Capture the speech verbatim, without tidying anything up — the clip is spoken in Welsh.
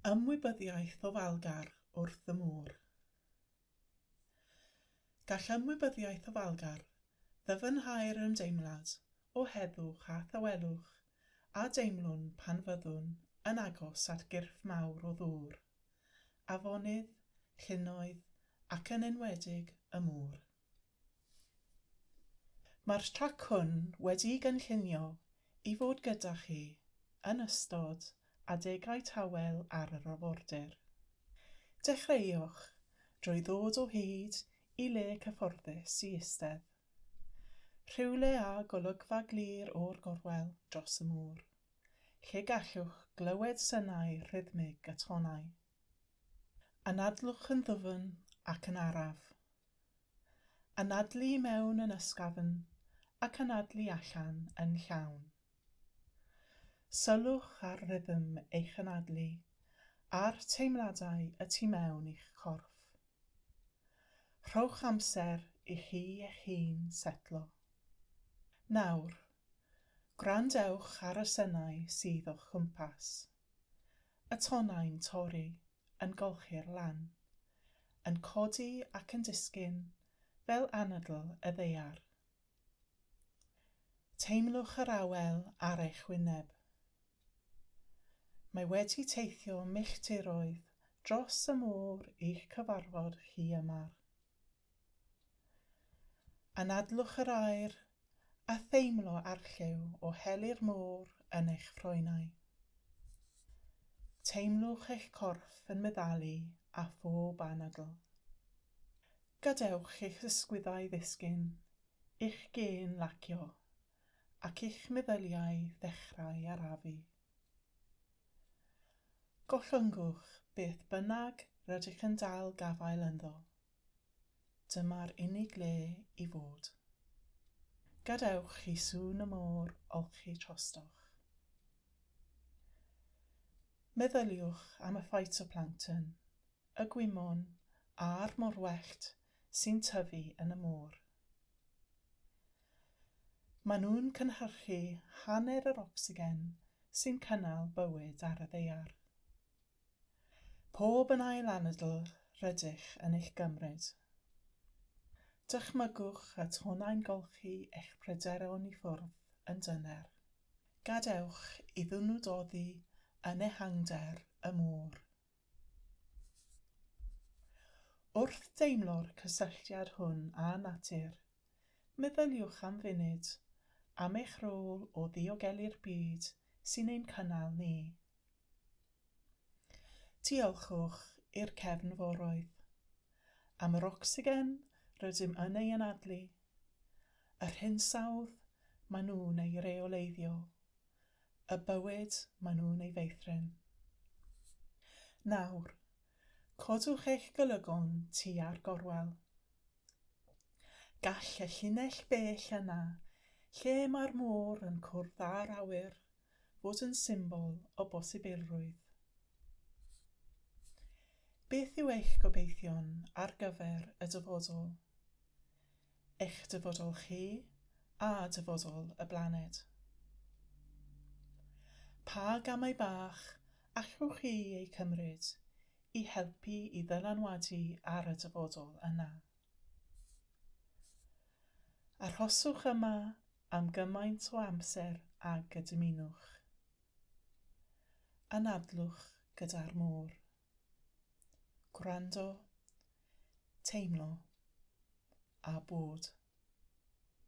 Ymwybyddiaeth ofalgar wrth y môr. Gall ymwybyddiaeth ofalgar ddyfnhau'r ymdeimlad o heddwch a thawelwch a deimlwn pan fyddwn yn agos at gyrff mawr o ddŵr, afonydd, llynnoedd ac yn enwedig y môr. Mae'r trac hwn wedi'i gynllunio i fod gyda chi yn ystod adegau tawel ar yr arfordir. Dechreuwch drwy ddod o hyd i le cyfforddus i eistedd. Rhywle â golygfa glir o'r gorwel dros y môr, lle gallwch glywed synau rhythmig y tonnau. Anadlwch yn ddwfn ac yn araf. Anadlu i mewn yn ysgafn ac anadlu allan yn llawn. Sylwch ar rythm eich anadlu a'r teimladau y tu mewn i'ch corff. Rhowch amser i chi eich hun setlo. Nawr, gwrandewch ar y synau sydd o'ch cwmpas. Y tonnau'n torri, yn golchi'r lan, yn codi ac yn disgyn fel anadl y ddaear. Teimlwch yr awel ar eich wyneb. Mae wedi teithio milltiroedd dros y môr i'ch cyfarfod chi yma. Anadlwch yr aer a theimlo arlliw o heli'r môr yn eich ffroenau. Teimlwch eich corff yn meddalu a phob anadl. Gadewch eich ysgwyddau ddisgyn, i'ch gên lacio, ac i'ch meddyliau ddechrau arafu. Gollyngwch beth bynnag rydych yn dal gafael ynddo. Dyma'r unig le i fod. Gadewch i sŵn y môr olchi trostoch. Meddyliwch am y phytoplankton, y gwymon a'r morwellt sy'n tyfu yn y môr. Maen nhw'n cynhyrchu hanner yr ocsigen sy'n cynnal bywyd ar y ddaear. Pob yn ail anadl rydych yn eich gymryd. Dychmygwch y tonnau'n golchi eich pryderon i ffwrdd yn dyner. Gadewch iddyn nhw doddi yn ehangder y môr. Wrth deimlo'r cysylltiad hwn â natur, meddyliwch am funud am eich rôl o ddiogelu'r byd sy'n ein cynnal ni. Diolchwch i'r cefnforoedd am yr ocsigen rydym yn ei anadlu, yr hinsawdd maen nhw'n ei reoleiddio, y bywyd maen nhw'n ei feithrin. Nawr, codwch eich golygon tua'r gorwel. Gall y llinell bell yna, lle mae'r môr yn cwrdd â'r awyr, fod yn symbol o bosibilrwydd. Beth yw eich gobeithion ar gyfer y dyfodol? Eich dyfodol chi a dyfodol y blaned. Pa gamau bach allwch chi eu cymryd i helpu i ddylanwadu ar y dyfodol yna? Arhoswch yma am gymaint o amser ag y dymunwch. Anadlwch gyda'r môr. Gwrando, teimlo a bod.